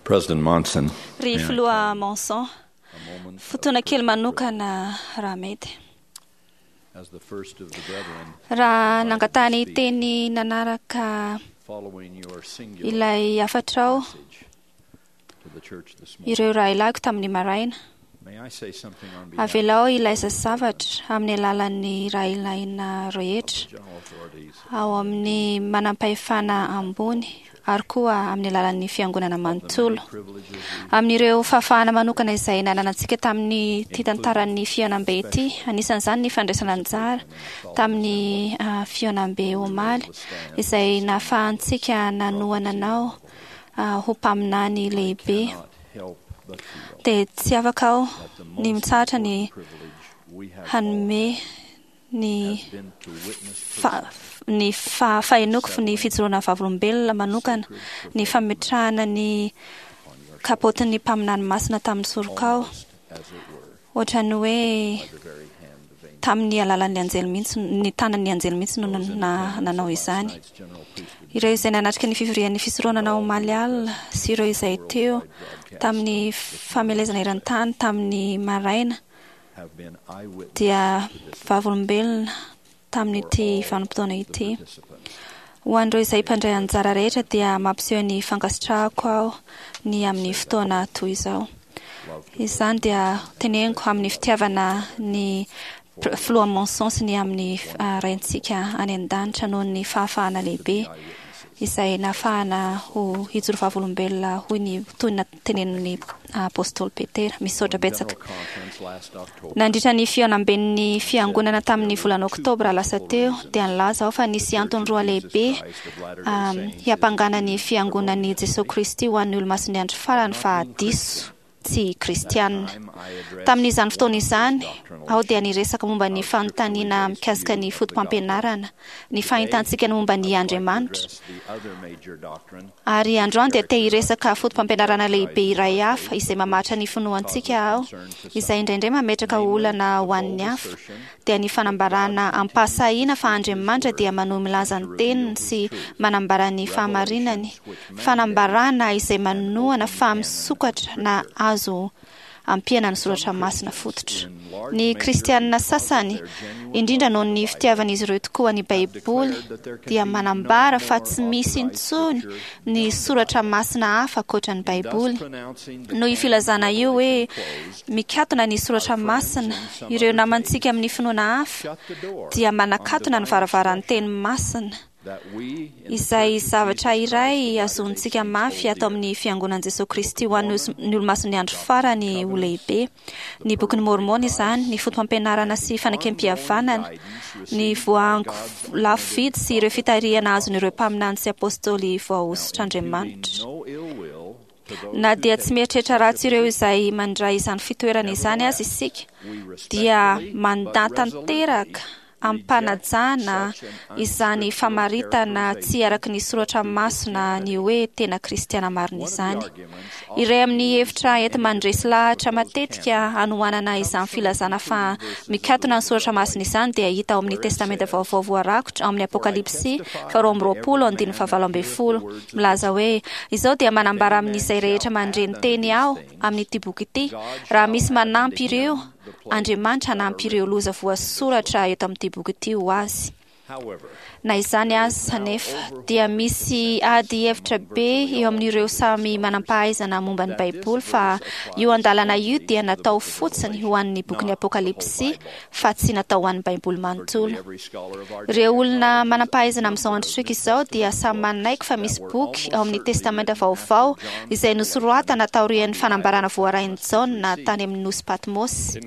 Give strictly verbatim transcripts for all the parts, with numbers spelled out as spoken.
President Monson. Ry filoha Monson, fotoana kely manokana raha mety. As the first of the brethren, Raha nangatahany teny nanaraka following your singular ilay hafatrao message to the church this morning, ireo rahilahiko tamin'ny maraina, may I say something on behalf avelao ilay zavatra amin'ny alalan'ny rahilahina rehetra of the general authorities ao amin'ny manam-pahefana ambony ary koa amin'ny alalan'ny fiangonana manontolo. privileges Amin'ireo fahafahana manokana izay nananantsika tamin'ny ity tantaran'ny fihaonambe ity, anisan'izany ny fandraisana anjara tamin'ny ah, fihaonambe omaly izay nahafahantsika nanohana anao ah, ho mpaminany lehibe, cannot help but feel dia tsy afaka aho that the ny most mitsahatra ny important privilege we have all hanome ny has been to witness fa, ny fa, fahenoko ny fijoroana vavolombelona manokana, ny fametrahana ny kapotin'ny mpaminany masina tamin'ny sorokao, almost as it were ohatran'ny hoe by the very hand of angels. tamin'ny alalan'ny anjely mihitsy, ny tanan'ny anjely mihitsy no Those in na, nanao attendance at last izany. night's general priesthood Ireo izay nanatrika ny fivorian'ny fisoronana omaly alina sy ireo izay teo tamin'ny famelezana eran-tany tamin'ny maraina have been eyewitnesses dia to this vavolombelona tamin'ity for all vanim-potoana the ity. participants. Ho an'ireo izay mpandray anjara rehetra dia mampiseho ny fankasitrahako aho ny amin'ny fotoana toy izao. Love to Izany dia teneniko amin'ny fitiavana ny pr- filoha Monson sy ny amin'ny ah, raintsika any an-danitra noho ny fahafahana lehibe eyewitnesses. izay nahafahana ho hijoro vavolombelona hoy ny toy ny tenenin'ny apôstôly Petera. Misaotra When betsaka. General Conference last October, Nandritra ny fihaonamben'ny fiangonana tamin'ny volana oktobra lasa teo dia nilaza aho fa nisy antony roa lehibe um, hiampangana ny fiangonan'i Jesosy Kristy ho an'ny olomasin'ny andro farany fa diso tsy kristianina. time I addressed Tamin'izany fotoana one izany doctrinal aho dia issue niresaka momba ny of fanontaniana scripturally based mikasika ny view of the foto-pampianarana, ny Today, fahitantsika ny momba ny I would like to Andriamanitra. address the other major doctrine Ary androany dia te hiresaka foto-pampianarana lehibe iray hafa izay mamaritra ny finoantsika aho, izay indraindray mametraka olana ho an'ny hafa, dia ny fanambarana am-pahasahiana fa Andriamanitra dia manohy milaza ny teniny sy manambara ny fahamarinany, fanambarana izay manohana fa misokatra na azo ampiana ny soratra masina fototra. Ny kristianina sasany, indrindra noho ny fitiavan'izy ireo tokoa ny Baiboly, dia manambara fa tsy misy intsony ny soratra masina hafa ankoatra ny Baiboly. Noho io filazana io hoe mikatona ny soratra masina, ireo namantsika amin'ny finoana hafa dia manakatona ny varavaran'ny teny masina, izay zavatra iray azontsika mafy ato amin'ny fiangonan'i Jesosy Kristy ho an'ny os- ny olomasin'ny andro farany ho lehibe. Ny bokin'ny Mormona izany, ny foto-pampianarana sy fanekempihavanana, ny voahango lafo vidy sy ireo fitarihana azon'ireo mpaminany sy apôstôly voahosotr'Andriamanitra. Na dia tsy mieritreritra ratsy ireo izay mandray izany fitoerana izany aza isika, dia mandà tanteraka am-panajana izany famaritana tsy araka ny soratra masina ny hoe tena kristiana marina izany. Iray amin'ny hevitra enti-mandresy lahatra matetika hanohanana izany filazana fa mikatona ny soratra masina izany dia hita ao amin'ny Testamenta Vaovao voarakotra ao amin'ny Apokalypsy faharoa amby roapolo andininy fahavalo ambin'ny folo milaza hoe izao dia manambara amin'izay rehetra mandre ny teny aho amin'ity boky ity, raha misy manampy ireo, Andriamanitra hanampy ireo loza voasoratra eto amin'ity boky ity ho azy. Na izany aza anefa dia misy ady hevitra be eo amin'ireo samy manam-pahaizana momba ny Baiboly fa io andalana io dia natao fotsiny ho an'ny bokin'ny Apokalypsy fa tsy natao ho an'ny Baiboly manontolo. Ireo olona manam-pahaizana amin'izao androntsika izao dia samy manaiky fa misy boky ao amin'ny Testamenta Vaovao izay nosoratana taorian'ny fanambarana voarain'i Jaona tany amin'ny nosy Patmos.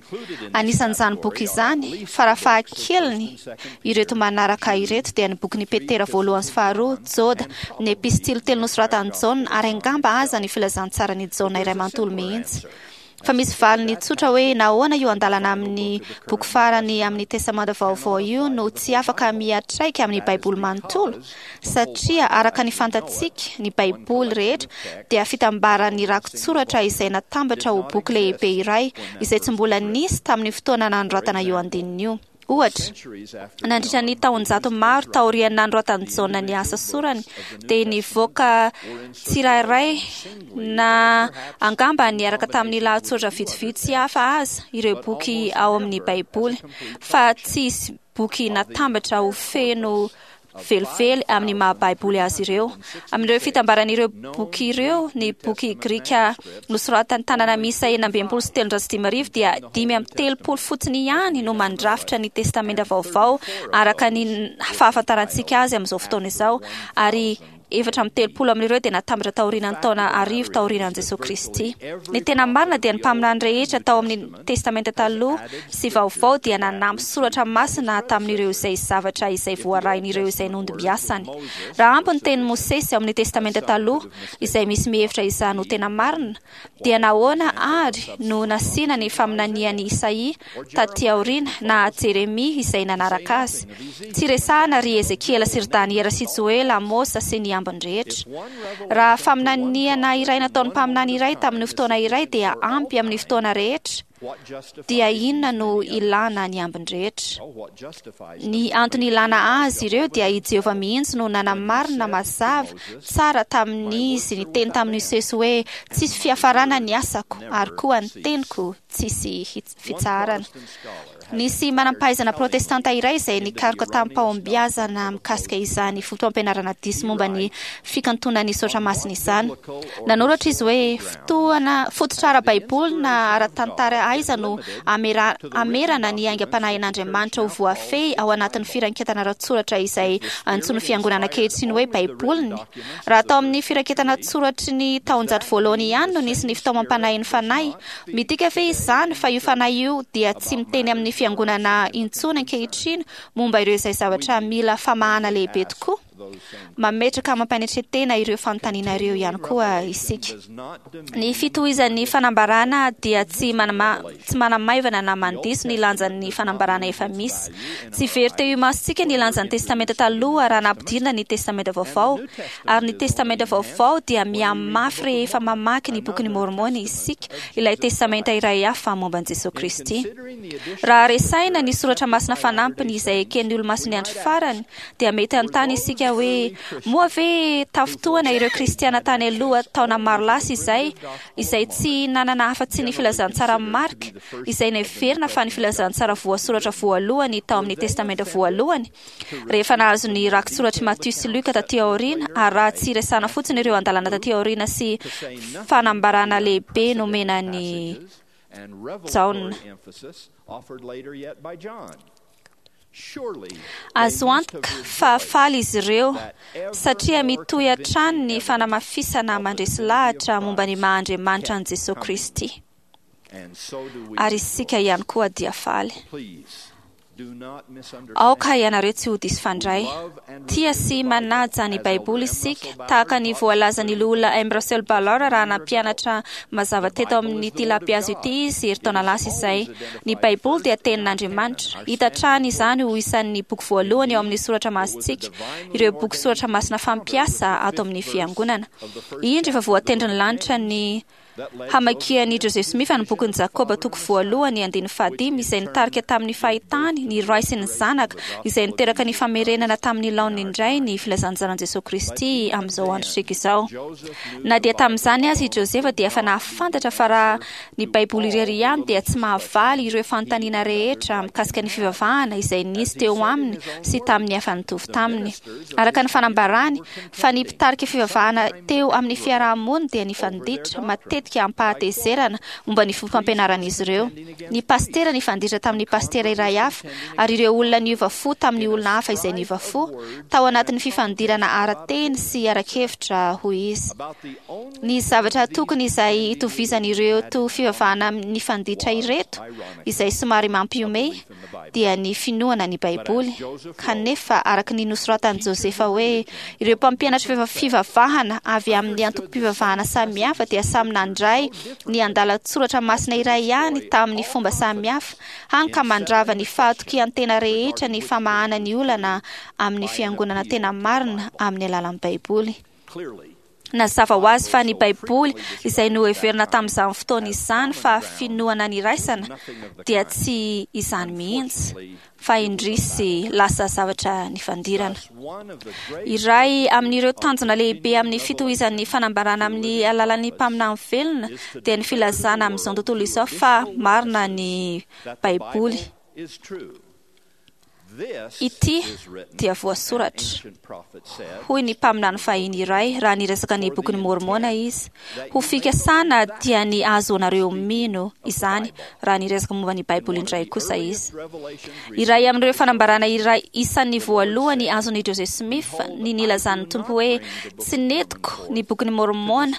Anisan'izany boky izany, farafahakeliny ireto manaraka ireto dia ny bokin'i Petera voalohany sy faharoa, Joda, ny epistily telo nosoratan'i Jaona ary angamba aza ny filazantsaran'i Jaona iray manontolo mihitsy. Fa misy valiny tsotra hoe nahoana io andalana amin'ny boky farany amin'ny Testamenta Vaovao io no tsy afaka miatraika amin'ny Baiboly manontolo, satria araka ny fantatsika ny Baiboly rehetra dia fitambaran'ny rakitsoratra izay natambatra ho boky lehibe iray izay tsy mbola nisy tamin'ny fotoana nanoratana io andininy io. Ohatra, nandritra ny taonjato maro taorian'ny nanoratan'i Jaona ny asa sorany, dia nivoaka tsirairay na angamba niaraka tamin'ny lahatsoratra vitsivitsy hafa aza ireo boky ao amin'ny Baiboly, fa tsy hisy boky natambatra ho feno velively amin'ny maha-Baiboly azy ireo. Amin'ireo fitambaran'ireo boky ireo, ny boky grika nosoratan'ny tanana miisa enina amby enimpolo sy telonjato sy dimy arivo dia dimy amby telopolo fotsiny ihany no mandrafitra ny Testamenta Vaovao araka ny fahafantarantsika azy amin'izao fotoana izao, ary efatra amby telopolo amin'ireo dia natambatra taorian'ny taona arivo taorian'i Jesoa Kristy. Ny tena marina dia ny mpaminany rehetra tao amin'ny Testamenta Taloha sy Vaovao dia nanampy soratra masina tamin'ireo izay zavatra izay voarain'ireo izay nondimbiasany. Raha ampy ny tenin'i Mosesy ao amin'ny Testamenta Taloha, izay misy mihevitra izany ho tena marina, dia nahoana ary no nasiana ny faminanian'i Isaia taty aoriana na Jeremia izay nanaraka azy? Tsy resahana ry Ezekiela sy ry Daniela sy Joela, Amosa sy ny ambiny rehetra. Raha faminaniana iray nataon'ny mpaminany iray tamin'ny fotoana iray dia ampy amin'ny fotoana rehetra, dia inona no ilana ny ambiny rehetra? Ny antony ilana azy ireo dia i Jehovah mihitsy no nanamarina mazava tsara tamin'izy niteny tamin'i Mosesy hoe tsisy fiafarana ny asako ary koa ny teniko tsisy fitsaharana. Nisy manam-pahaizana protestanta iray izay nikaroka tamin'ny-pahombiazana mikasika izany fotoam-pianarana diso momba ny fikantonan'ny soratra masina izany. Nanoratra izy hoe fotoana fototra ara-baiboly na ara-tantara aiza no amera, amerana ny aingam-panahin'Andriamanitra ho voafehy ao anatin'ny firaiketana ara-tsoratra izay antsoin'ny fiangonana ankehitriny hoe Baiboliny. Raha tao amin'ny firaketana tsoratry ny taonjato voalohany ihany no nisy ny fitaomam-panahin'ny fanahy, midika ve izany fa io fanahy io dia tsy miteny amin'ny fiangonana intsony ankehitriny momba ireo izay zavatra mila famahana lehibe tokoa? Mametraka mampanetren-tena ireo fanontaniana ireo ihany koa isika. Ny fitohizan'ny fanambarana dia tsy manama, tsy manamaivana na mandiso ny lanjan'ny fanambarana efa misy. Tsy very teo imasontsika ny lanjan'ny Testamenta Taloha raha nampidirina ny Testamenta Vaovao, ary ny Testamenta Vaovao dia mihamafy rehefa mamaky ny bokin'i Môrmôna isika, ilay Testamenta iray hafa momba an'i Jesoa Kristy. Raha resahina ny soratra masina fanampiny izay eken'ny olomasin'ny andro farany, dia mety hanontany isika hoe moa ve tafintohana ireo kristiana tany aloha taona maro lasa izay, izay tsy nanana afa-tsy ny filazantsara Marka, izay neverina fa ny filazantsara voasoratra voalohany tao amin'ny Testamenta voalohany, rehefa nahazo ny rakitsoratr'i Matio sy Luka taty aoriana, ary raha tsy resahana fotsiny ireo andalana taty aoriana sy fanambarana lehibe nomena ny Jaona. Azo antoka fa faly izy ireo satria mitohy hatrany ny fanamafisana mandresy lahatra momba ny maha-Andriamanitra an'i Jesoa Kristy. Ary isika ihany koa dia faly. Aoka ianareo tsy ho diso fandray. Tia sy manaja ny Baiboly isika, tahaka ny voalazan'ny loholona M. Russell Ballard raha nampianatra mazava teto amin'ity lapihazo ity izy herintaona lasa izay. Ny Baiboly dia tenin'Andriamanitra. Hita hatrany izany ho isan'ny boky voalohany ao amin'ny soratra masintsika, ireo boky soratra masina fampiasa ato amin'ny fiangonana. Indro efa voatendrin'ny lanitra ny hamakian'i Joseph Smith ny bokin'i Jakoba toko voalohany andininy fahadimy izay nitarika tamin'ny fahitany ny ray sy ny zanaka izay niteraka ny famerenana tamin'ny laoniny indray ny filazantsaran'i Jesoa Kristy amin'izao androntsika izao. Na dia tamin'izany aza i Joseph dia efa nahafantatra fa raha ny Baiboly irery ihany dia tsy mahavaly ireo fanontaniana rehetra mikasika ny fivavahana izay nisy teo aminy sy tamin'ny hafa nitovy taminy. Araka ny fanambarany fa ny mpitarika fivavahana teo amin'ny fiarahamonina dia nifanditra matetika ampahatezerana momba ny fombam-pampianaran'izy ireo. Ny pastera nifanditra tamin'ny pastera iray hafa, ary ireo olona niova fo tamin'ny olona hafa izay niova fo, tao anatin'ny fifandirana ara-teny sy ara-kevitra, hoy izy. Ny zavatra tokony izay itovizan'ireo to fivavahana nifanditra ireto, izay somary mampihomehy, dia ny finoana ny Baiboly. Kanefa, araka ny nosoratan'i Josefa hoe ireo mpampianatra fivavahana avy amin'ny antokom-pivavahana samihafa dia samy nandray ny andalan-tsoratra masina iray ihany tamin'ny fomba samihafa, hany ka mandrava ny fahatokian-tena rehetra ny famahana ny olana amin'ny fiangonana tena marina amin'ny alalan'ny Baiboly. Nazava ho azy fa ny Baiboly izay noheverina tamin'izany fotoana izany fa finoana niraisana dia tsy izany mihitsy, fa indrisy lasa zavatra nifandirana. Iray amin'ireo tanjona lehibe amin'ny fitohizan'ny fanambarana amin'ny alalan'ny mpaminany velona dia ny filazana amin'izao tontolo izao fa marina ny Baiboly. Ity dia voasoratra, hoy ny mpaminany fahiny iray raha niresaka ny bokin'ny Môrmôna izy. Ho fikasana dia ny ahazoanareo mino izany raha niresaka momba ny Baiboly indray kosa izy. Iray amin'ireo fanambarana iray isan'ny voalohany azon'i Joseph Smith ny nilazan'ny Tompo hoe tsy nentiko ny bokin'ny Môrmôna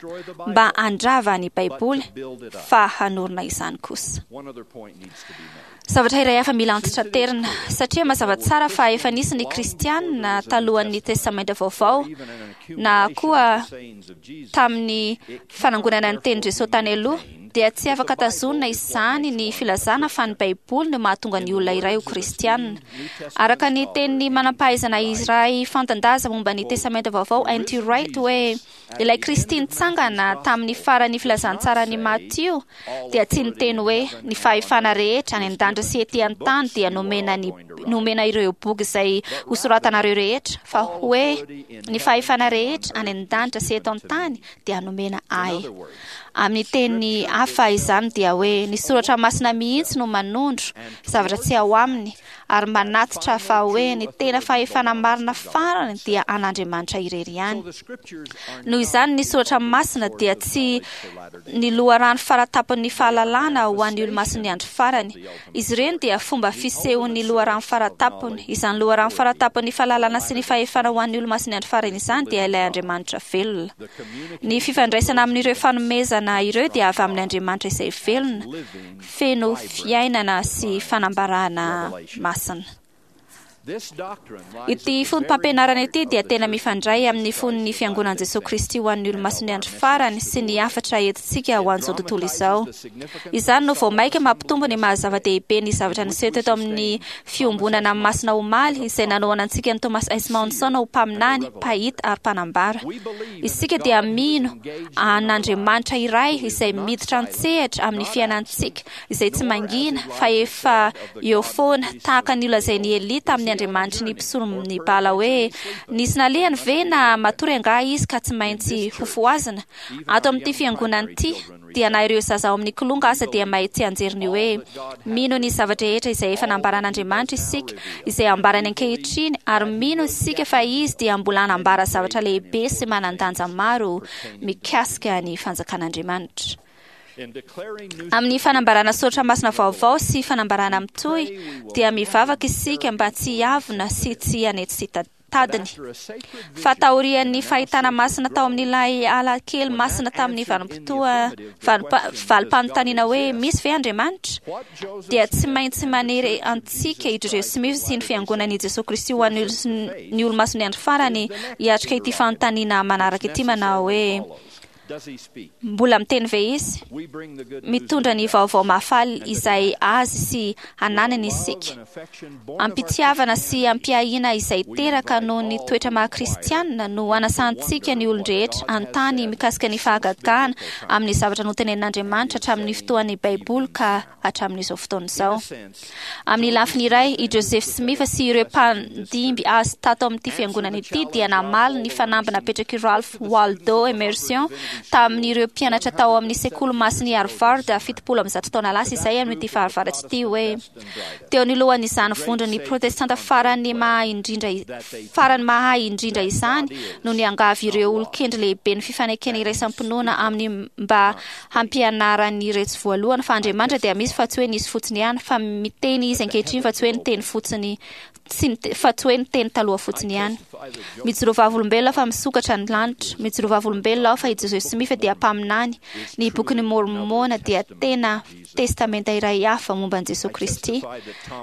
mba handrava ny Baiboly fa hanorina izany kosa. Zavatra iray hafa mila antitraterina, satria mazava tsara fa efa nisy ny kristianina talohan'ny Testamenta Vaovao na koa tamin'ny fanangonana ny tenin'i Jesosy tany aloha, dia tsy afaka tazonina izany ny filazana fa ny Baiboly no mahatonga ny olona iray ho kristianina. Araka ny tenin'ny manam-pahaizana iray fantan-daza momba ny Testamenta Vaovao, N T Wright, hoe ilay Kristy nitsangana tamin'ny faran'ny filazantsaran'i Matio dia tsy niteny hoe ny fahefana rehetra any an-danitra sy ety an-tany dia nomena ny nomena ireo boky izay hosoratanareo rehetra, fa hoe ny fahefana rehetra any an-danitra sy eto an-tany dia nomena ahy. Amin'ny teny hafa izany dia hoe ny soratra masina mihitsy no manondro zavatra tsy ao aminy ary manatitra fa hoe ny tena fahefana marina farany dia an'Andriamanitra irery ihany. Noho izany ny soratra masina dia tsy ny loharano faratapon'ny fahalalana ho an'ny olomasin'ny andro farany. Izy ireny dia fomba fisehon'ny loharano faratapony. Izany loharano faratapon'ny fahalalana sy ny fahefana ho an'ny olomasin'ny andro farany izany dia ilay Andriamanitra velona. Ny fifandraisana amin'ireo fanomezana ireo dia avy amin'ny Andriamanitra izay velona, feno fiainana sy fanambarana masina. Ity foto-pampianarana ity dia tena mifandray amin'ny fon'ny fiangonan'i Jesosy Kristy ho an'ny olomasin'ny andro farany sy ny hafatra entintsika ho an'izao tontolo izao. Izany no vao mainka mampitombo ny maha-zava-dehibe ny zavatra niseho teto amin'ny fiombonana masina omaly izay nanohana antsika ny Thomas S. Monson ho mpaminany, mpahita ary mpanambara. Isika dia mino an'Andriamanitra iray izay miditra an-tsehatra amin'ny fiainantsika izay tsy mangina fa efa eo foana, tahaka ny nolazain'i Elia tamin'ny Andriamanitry ny mpisoron'ny Bala hoe nisy nalehany ve na matory angaha izy ka tsy maintsy hofohazina. Ato amin'ity fiangonana ity dia na ireo zaza ao amin'ny kilonga aza dia mahay tsianjery ny hoe mino ny zavatra rehetra izay efa nambaran'Andriamanitra isika, izay ambarany ankehitriny, ary mino isika fa izy dia mbola hanambara zavatra lehibe sy manan-danja maro mikasika ny fanjakan'Andriamanitra. Amin'ny fanambarana soratra masina vaovao sy fanambarana mitohy dia mivavaka isika mba tsy hiavona sy tsy hanetsy tadiny. Fa taorian'ny fahitana masina tao amin'ilay ala kely masina tamin'ny vanim-potoa valim-panontaniana hoe misy ve Andriamanitra, dia tsy maintsy manery antsika i Joseph Smith sy ny fiangonan'i Jesosy Kristy ho an'ny olomasin'ny andro farany hiatrika ity fanontaniana manaraka ity manao hoe mbola miteny ve izy? Mitondra ny vaovao mahafaly izay azy sy ananany isika. Ampitiavana sy ampiahiana izay teraka noho ny toetra maha-kristianina no anasantsika ny olon-drehetra an-tany mikasika ny fahagagana amin'ny zavatra notenenin'Andriamanitra hatramin'ny fotoan'ny Baiboly ka hatramin'izao fotoana izao. Amin'ny lafiny iray, i Joseph Smith sy ireo mpandimby azy tato amin'ity fiangonana ity dia namaly ny fanamby napetrak'i Ralph Waldo Emerson tamin'ireo mpianatra tao amin'ny sekoly masin'i Harvard fitopolo amby zato taona lasa izay amin'ity fahavaratra ity hoe teo anoloan'izany vondron'ny protestanta farany mahay indrindra farany mahay indrindra izany no niangavy ireo olon-kendry lehibe ny fifanekena iraisam-pinoana amin'ny mba hampianaran'iretsy voalohany fa Andriamanitra dia misy fa tsy hoe nisy fotsiny ihany, fa miteny izy ankehitriny fa tsy hoe niteny fotsiny, tsy fa tsy hoe niteny taloha fotsiny ihany. Mijoro vavolombelona fa misokatra ny lanitra. Mijoro vavolombelona aho fa i Joseph Smith dia mpaminany. Ny bokin'ny Môrmôna dia tena testamenta iray hafa momba an'i Jesosy Kristy.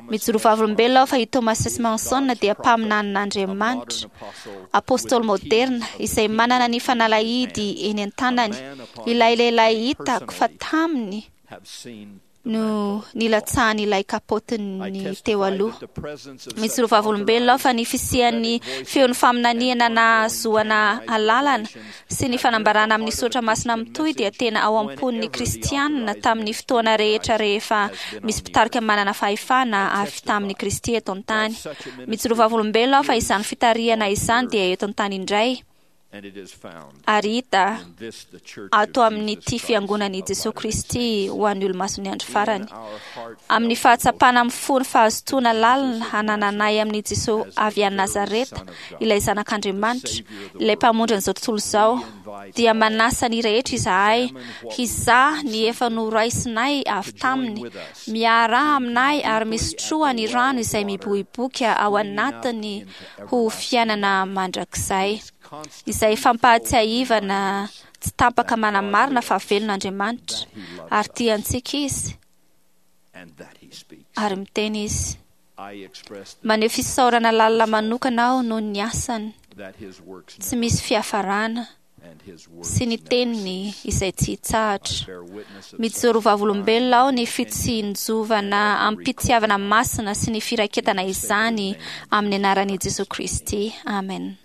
Mijoro vavolombelona aho fa i Thomas S. Monson dia mpaminanin'Andriamanitra, apôstôly moderna izay manana ny fanalahidy eny an-tanany, ilay lehilahy hitako fa taminy No nilatsahan'ilay kapôtiny teo aloha. Mijoro vavolombelona aho fa ny fisian'ny feon'ny faminaniana nahazoana alalana sy ny fanambarana amin'ny soratra masina mitohy dia tena ao am-pon'ny kristianina tamin'ny fotoana rehetra rehefa misy mpitarika manana fahefana avy tamin'ny Kristy eto an-tany. Mijoro vavolombelona aho fa izany fitarihana izany dia eto an-tany indray ary hita ato amin'ity fiangonan'i Jesoa Kristy ho an'ny olomasin'ny andro farany. Amin'ny fahatsapana amin'ny fo ny fahazotoana lalina hanananay amin'i Jesoa avy any Nazareta, ilay Zanak'Andriamanitra, ilay Mpamonjy an'izao tontolo izao, dia manasa ny rehetra izahay hizaha ny efa noraisinay avy taminy, miaraha aminay ary misotroa ny rano izay miboiboika ao anatiny ho fiainana mandrakizay, izay fampahatsiahivana tsy tapaka manamarina fa velona Andriamanitra ary tia antsika Izy ary miteny Izy. Maneho fisaorana lalina manokana aho noho ny asany tsy misy fiafarana sy ny teniny izay tsy hitsahatra. Mijoro vavolombelona aho ny fitsinjovana amim-pitiavana masina sy ny firaiketana izany amin'ny anaran'i Jesoa Kristy. Amen.